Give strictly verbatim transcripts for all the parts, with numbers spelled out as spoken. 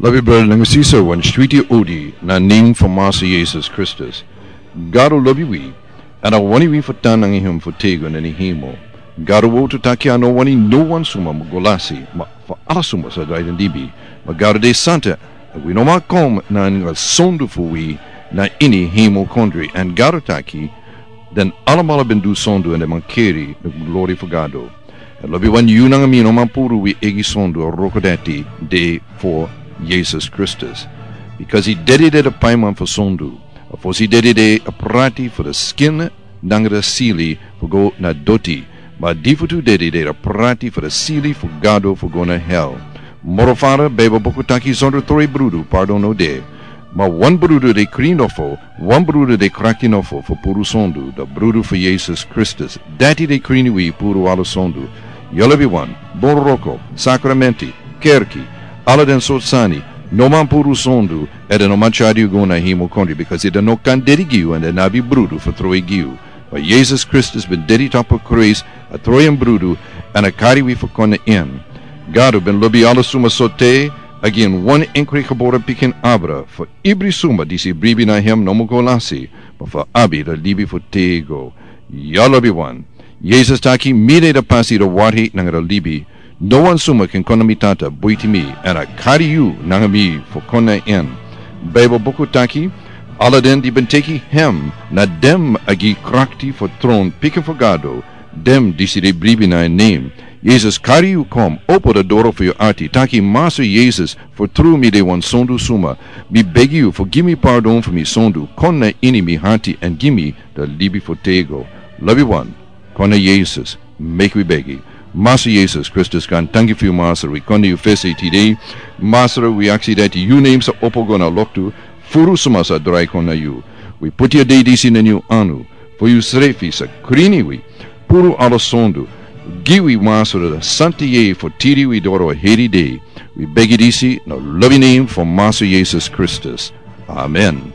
Lobi brada nanga sisa, wan switi odi na nen fu Masa Yesus Kristus. Gado lobi wi, èn a wani wi fu tan nanga hem fu tego na ini hemel. Gado wowtu taki a no wani no wan suma mu go lasi, ma fu ala suma sa drai den libi. Ma Gado de santa, èn wi no man kon nanga sondu fu wi na ini hemel kondre. Èn Gado taki, den alamala ben du sondu èn den man keri na glori fu Gado. Èn lobi wan, yu nanga mi no man puru wi eigi sondu, a wroko dati de fu Yesus Kristus. Bikasi dede de a paiman fu sondu. A fosi dede de a prati fu a skin nanga a sili fu go na doti. Ma a difutu dede de a prati fu a sili fu Gado fu go na hel. Moro fara, Beibel buku taki, sondro troi brudu pardon no de. Ma wan brudu de krin nofo, wan brudu de krakti nofo fu puru sondu, a brudu fu Yesus Kristus. Dati de krin wi puru ala sondu. Yu lobi wan, bun wroko, sakramenti, kerki, ala den sortu sani, no man puru sondu, èn den no man tyari yu go na hemel kondre, bikasi den no kan dede gi yu èn den no abi brudu fu troi gi yu. Ma Yesus Kristus ben dede tapu krusu, a troi en brudu, èn a kari wi fu kon na en. Gado ben lobi ala suma so te a gi en wan enkri gebore pikin abra, fu ibri suma disi bribi na hem no mu go lasi, ma fu abi a libi fu tego. Yu lobi wan, Yesus taki, mi de a pasi, a wari nanga a libi. No wan suma kan kon na mi Tata buiti mi, èn a kari yu nanga mi fu kon na en. Beibel buku taki, ala den di ben teki hem, na den a gi krakti fu tron pikin fu Gado, den disi de bribi na en nen. Yesus kari yu kon, opo a doro fu yu ati, taki, Masa Yesus, fu tru mi de wan sondu suma. Mi begi yu fu gi mi pardon fu mi sondu, kon na ini mi ati èn gi mi a libi fu tego. Lobi wan, kon na Yesus, meki wi begi. Masa Yesus Kristus, kan tanki fu yu, Masra, wi kon na yu fesi tide. Masra, wi aksi dati yu nen sa opo go na loktu, furu suma sa drai kon na yu. Wi puti a dei disi na yu anu, fu yu srefi sa krini wi, puru ala sondu, gi wi, Masra, a santa yeye fu tiri wi doro heri dei. Wi begi disi na lobi nen fu Masa Yesus Kristus. Amen.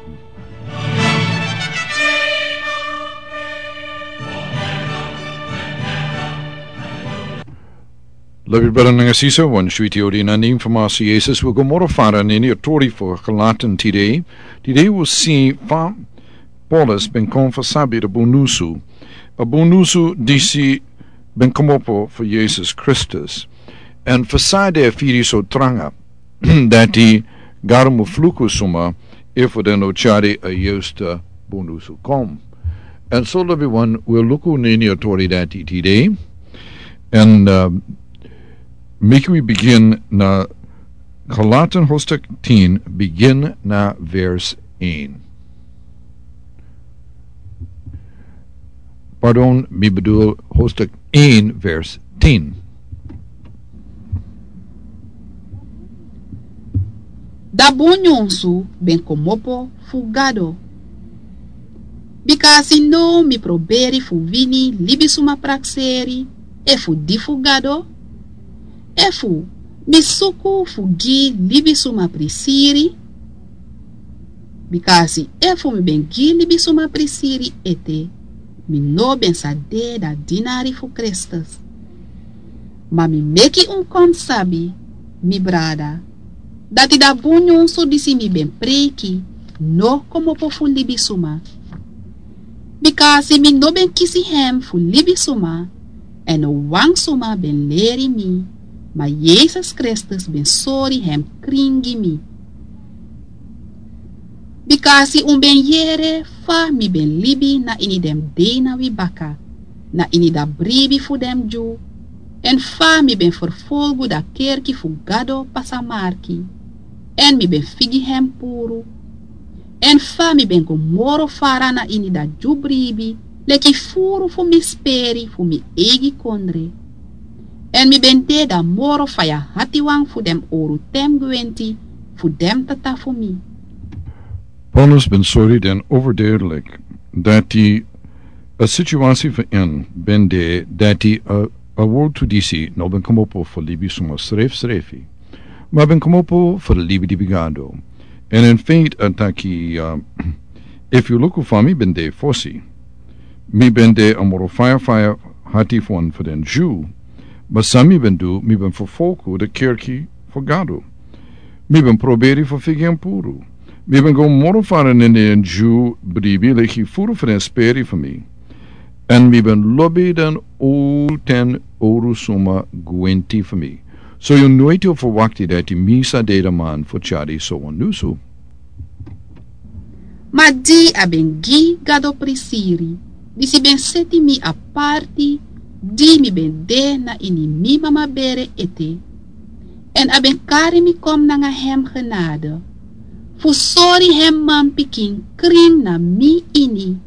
Lobi brada nanga sisa, wan switi odi na nen fu Masa Yesus. Wi go moro fara na ini a tori fu Galatan tide. Tide wi si fa Paulus ben kon fu sabi a bun nusu. A bun nusu disi ben komopo fu Yesus Kristus. Èn fu san a firi so tranga dati Gado mu fluku suma efu den no tyari a yusta bun nusu kon. Èn so lobi wan, wi luku na ini a tori dati tide. Èn, eh, meki wi bigin na Galatan hoofdstuk tien, bigin na vers één. Pardon, mi bedoel hoofdstuk één, vers tien. Da bun nyunsu ben komopo fu Gado. Bika a si now mi proberi fu wini libisuma prakseri efu di fu Gado, efu mi suku fu gi libisuma prisiri. Bika a si efu mi ben gi libisuma prisiri ete, mi no ben sa de da dinari fu Kristus. Ma mi meki un kon sabi, mi brada, dati da bun nyunsu disi mi ben preiki no komopo fu libisuma. Bika a si mi no ben kisi hem fu libisuma, èn no wan suma ben leri mi, ma Yesus Kristus ben sori hem krin gi mi. Bika a si un ben yere fa mi ben libi na ini den dei na wi baka, na ini da bribi fu den Dyu, èn fa mi ben ferfolgu da kerki fu Gado pasamarki, èn mi ben figi hem puru, èn fa mi ben go moro fara na ini da Dyu bribi, leki furu fu mi speri fu mi eigi kondre. Èn mi ben de da moro faya hatiwan fu den owru ten gwenti fu den tata fu mi. Paulus ben sori den overduidelijk dati a situasi fu en ben de dati a, a wortu disi no ben komopo fu libisuma srefsrefi, ma ben komopo fu libi di bigado. Èn in feite a taki, uh, efu yu luku fa mi ben de fosi, mi ben de a moro faya faya hati fu wan fu den Dyu, ma san mi ben du, mi ben ferfolgu da kerki fu Gado. Mi ben proberi fu figi en puru. Mi ben go moro fara nini en dyu bribi leki furu fu den speri fu mi. Èn mi ben lobi den oru ten oru suma gwenti fu mi. So yu noiti o ferwakti dati mi sa de den man fu tyari so wan nusu. Ma di a ben gi Gado prisiri, disi ben seti mi aparti, di mi ben de na ini mi mama bere ete. Èn a ben kari mi kon nanga hem genade, fu sori hem manpikin krin na mi ini,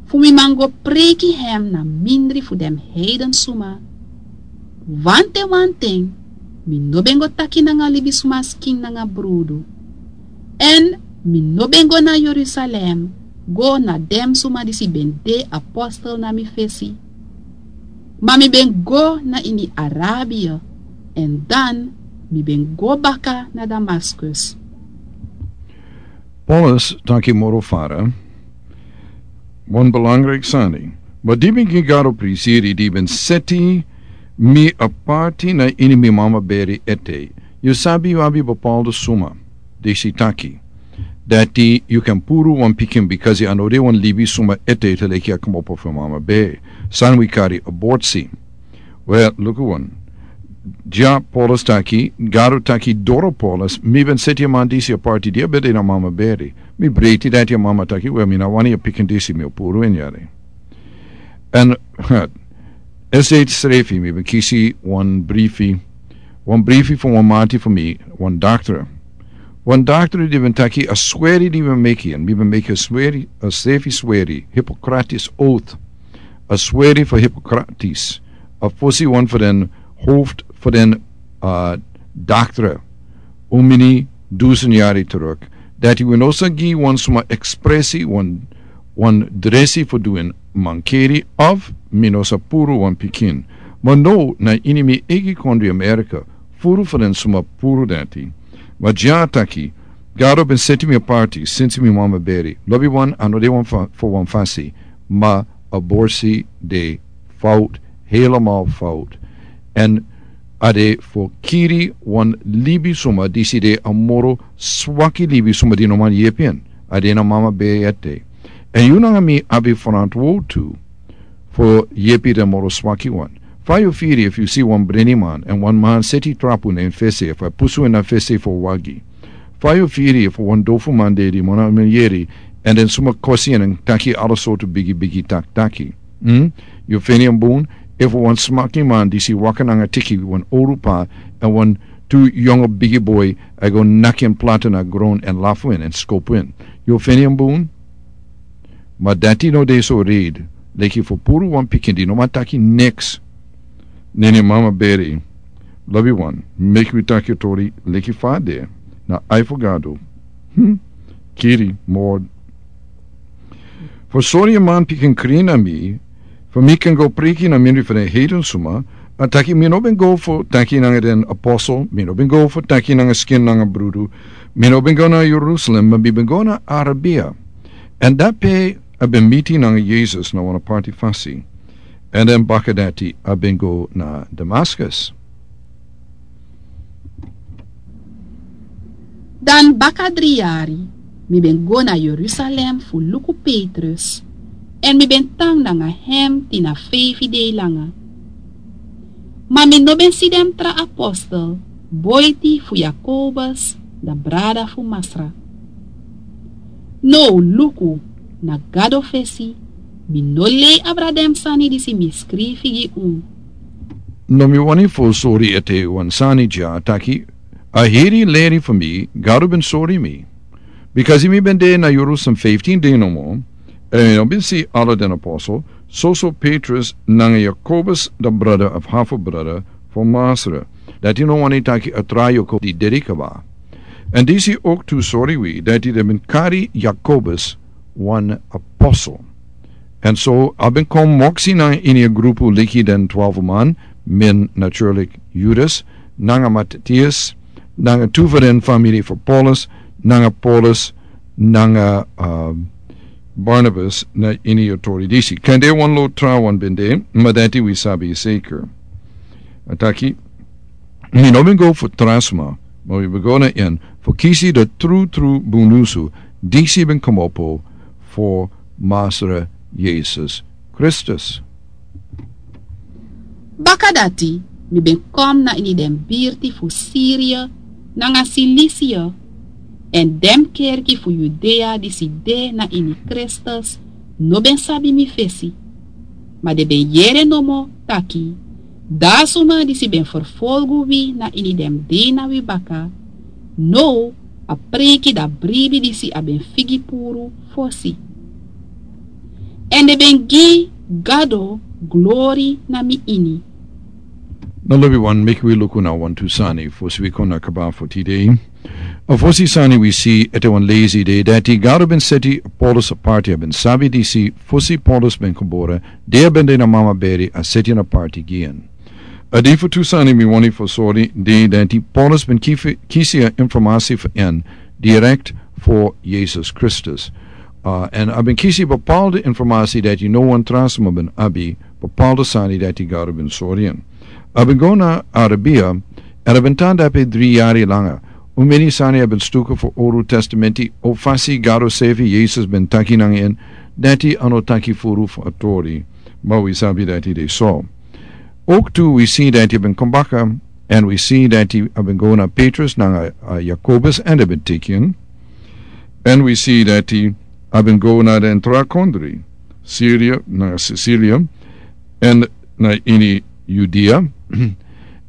fu mi man go preiki hem na mindri fu den heiden suma. Wanten wanten, mi no ben go taki nanga libisma skin nanga brudu. Èn mi no ben go na Jerusalem, go na den suma disi ben de apostel na mi fesi. Ma mi ben go na ini Arabia, èn dan mi ben go baka na Damaskus. Paulus taki moro fara, wan belangrijk sani. Ma di ben gi Gado prisiri di ben seti mi aparti na ini mi mama beri ete. Yu sabi yu abi bepaalde suma. Disi taki. Dati yu kan puru wan pikin bikasi a no de wan libi suma ete te leki a komopo fu mama beri. San wi kari aborsi. Wel, luku wan. Dya Paulus taki, Gado taki doro Paulus, mi ben seti a man disi aparti di a ben de na mama beri. Mi breiti dati a mama taki, wel, mi na wani a pikin disi mi o puru en yari. Èn, esi srefi, mi ben kisi wan brifi, wan brifi fu wan mati fu mi, wan daktra. Wan daktra di ben taki a sweri di ben meki, èn mi ben meki a sweri, a srefi sweri, Hippocrates oath, a sweri fu Hippocrates, a fosi wan fu den hoofd fu den, a, daktra, un mini dusen yari teruk, dati wi no sa gi wan suma ekspresi, wan, wan dresi fu du en mankeri, of mi no sa puru wan pikin. Ma no, na ini mi eigi kondri Amerika, furu fu den suma puru dati. Ma dya taki, Gado ben seti mi aparti, sinsi mi mama beri. Lobi wan, a no de wan fa-, fu wan fasi. Ma aborsi de fout, helemaal fout. Èn a de fu kiri wan libi suma disi de a moro swaki libi suma di no man yepi en. A de na mama beri ete. Èn yu nanga mi abi ferantwortu fu yepi den moro swaki wan. Fa yu firi efu yu si wan breniman, èn wan man seti trapu na en fesi, efu a pusu en na fesi fu wagi. Fa yu firi efu wan dofu man de di moro na yeri, èn den suma kosi en, èn taki ala sortu bigi bigi tak-, taki. Hmm? Yu feni en bun, efu wan smaki man disi waka nanga tiki wan oru pa, èn wan tu yongo bigi boi, a go naki en plata na gron èn lafu en, èn skopu en. Yu feni en bun? Ma dati no de so reed, leki fu puru wan pikin di no man taki niks. Nene mama beri, lobi wan, meki wi taki tori, leki fa a de, na ai fu Gado. Hmm? Kiri, mord. Fu sori a man pikin krin na mi, fu mi kan go preiki na mindri fu den heiden suma, a taki mi no ben go fu taki nanga den apostel, mi no ben go fu taki nanga skin nanga brudu, mi no ben go na Jerusalem, ma mi ben go na Arabia. Èn dape a ben miti nanga Yesus na wan aparti fasi. Èn den baka dati a ben go na Damaskus. Dan baka dri yari, mi ben go na Jerusalem fu luku Petrus, èn mi ben tan nanga hem tin na feifi dei langa. Ma mi no ben si den tra apostel, boiti fu Jakobus, da brada fu Masra. Now luku, na Gado fesi, mi no lei abra den sani disi mi skrifi gi un. No mi wani fu sori ete wan sani dya taki, a heri leri fu mi, Gado ben sori mi. Bikasi mi ben de na Jerusalem fiftin dei nomo, èn mi no ben si ala den apostel, soso Petrus nanga Jakobus da brada of hafu brada fu Masra. Dati no wani taki a tra Jakobus di dedi kaba. Èn disi ook tu sori wi, dati den ben kari Jakobus wan apostel. Èn so a ben kon moksi nanga ini a grupu leki den twalfu man, mi, natuurlik Judas, nanga Matthias, nanga tu fu den famiri fu Paulus, nanga Paulus, nanga, um, Barnabas na ini a tori disi. Kande wan lo tra wan ben de, ma dati wi sabi seker. A taki, mi no ben go fu tra sma, ma mi ben go na en, fu kisi de trutru bunusu disi ben komopo fu Masra Yesus Kristus. Bakadati mi ben kom na ini den birti fu Siria nanga Silisia, èn den kerki fu Yudea disi de na ini Kristus no ben sabi mi fesi. Ma den ben yere nomo taki, dan a suma disi ben ferfolgu wi na ini den dei na wi baka, now a preiki dan bribi disi a ben figi puru fosi. Èn den ben gi Gado glori na mi ini. Now lobi wan, meki wi luku na wantu sani fosi wi kon na kaba fu tide. A fosi sani wi si ete wan lesi de dati Gado ben seti Paulus aparti. A ben sabi disi fosi Paulus ben kobore, de a ben de na mama beri a seti en aparti gi en. A dei fu tu sani mi wani fu sori de dati Paulus ben kifi- kisi a informasi fu en direkt fu Yesus Kristus. Uh, èn a ben kisi bepaalde informasi dati no wan tra suma ben abi, bepaalde sani dati Gado ben sori en. A ben go na Arabia, èn a ben tan dape dri yari langa. Un meni sani a ben stuku fu Olu Testamenti, o fasi Gado sefi Yesus ben taki nanga en, dati a no taki furu fu a tori. Ma wi sabi dati de so. Ook tu wi si dati a ben kon baka, èn wi si dati a ben go na Petrus nanga, uh, Jakobus èn den ben teki en. Èn wi si dati a ben go na den tra kondri, Siria nanga Sicilia, èn na ini Yudea.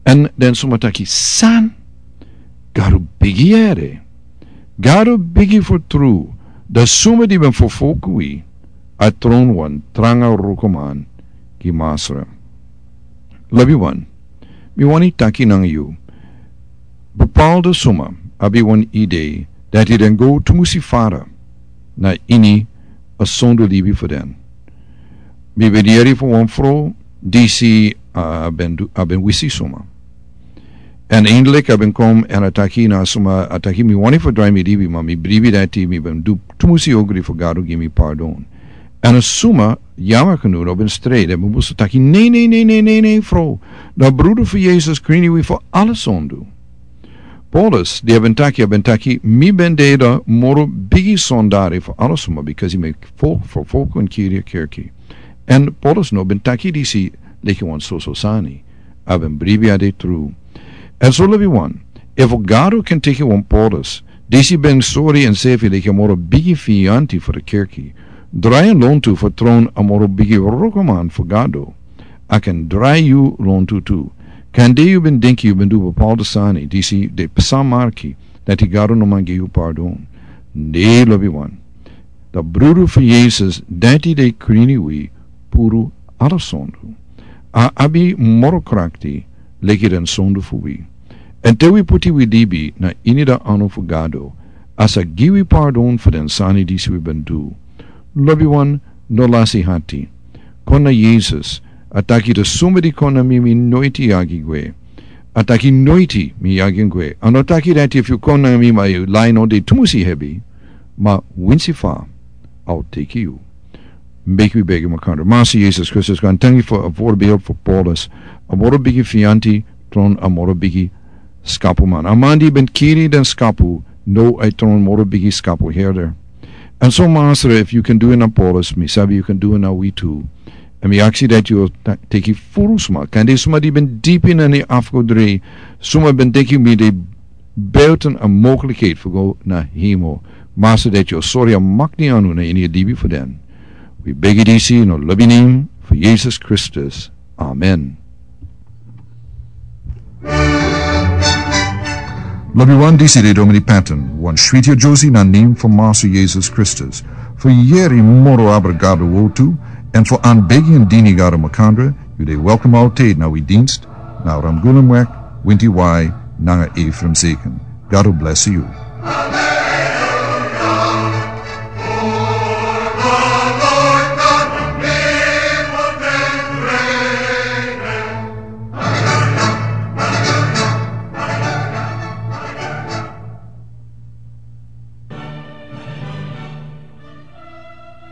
Èn den suma taki san, Gado bigi yere. Gado bigi fu tru, dan suma di ben ferfolgu wi, a tron wan tranga rukuman gi Masra. Lobi wan, mi wani taki nanga yu. Bepaalde suma abi wan idee dati den go tumusi fara na ini a sondu libi fu den. Mi ben yere fu wan fro disi a ben du- a ben wisi suma. Èn eindelijk a ben kon èn a taki na suma, a taki mi wani fu drai mi libi, ma mi bribi dati mi ben du tumusi ogri fu Gado gi mi pardon. Èn a suma, yama kanu no ben strei, den ben musu taki nei, nei, nei, nei, nei, nei, fro. Na brudu fu Yesus krini wi fu ala sondu. Paulus, di a ben taki, a ben taki, mi ben de dan moro bigi sondari fu ala suma, because mi fo- fo- ferfolgu èn kiri a kerki. Èn Paulus no ben taki disi leki wan soso sani. A ben bribi a de tru. Èn so lobi wan, efu Gado kan teki wan Paulus, disi ben sori ensefi leki a moro bigi fianti fu a kerki, drai en lontu fu tron a moro bigi rukuman fu Gado, a kan drai yu lontu tu. Kande yu ben denki yu ben du bepaalde sani disi de psa marki dati Gado no man gi yu pardon. Nei, lobi wan. Dan brudu fu Yesus dati de krini wi puru ala sondu. A abi moro krakti leki den sondu fu wi. Èn te wi puti wi libi na ini a anu fu Gado, a sa gi wi pardon fu den sani disi wi ben du. Lobi wan, no lasi hati. Kon na Yesus, a taki dan suma di kon na mi mi noiti yagi gwe. A taki noiti mi yagi gwe. A no taki dati efu yu kon na mi ma yu lai no de tumusi hebi, ma winsi fa a o teki yu. Meki wi begi makandra. Masra Yesus Kristus, kon tangi fu a voorbeeld fu Paulus. A moro bigi fianti tron a moro bigi skapuman. A man di ben kiri den skapu, now a tron moro bigi skapu herder. Èn so Masra, efu yu kan du en na Paulus, mi sabi yu kan du en na wi tu. Èn mi aksi dati yu o ta- teki furu suma. Kande suma di ben dipi na ni afgodri, suma ben denki mi de buiten a mogelijkheid fu go na hemel. Masra, dati yu o sori a makti anu na ini a libi fu den. Wi begi disi na lobi nen fu Yesus Kristus. Amen. Lobi wan, disi de Domini Patton, wan switi a Josie na nen fu Masra Yesus Kristus. Fu yere moro abra Gado wortu, èn fu anbegi èn dini Gado makandra, yu de welkom altijd na wi dienst, na Ramgulumweg, winti wai, nanga Ephraim Zeken. Gado bless yu.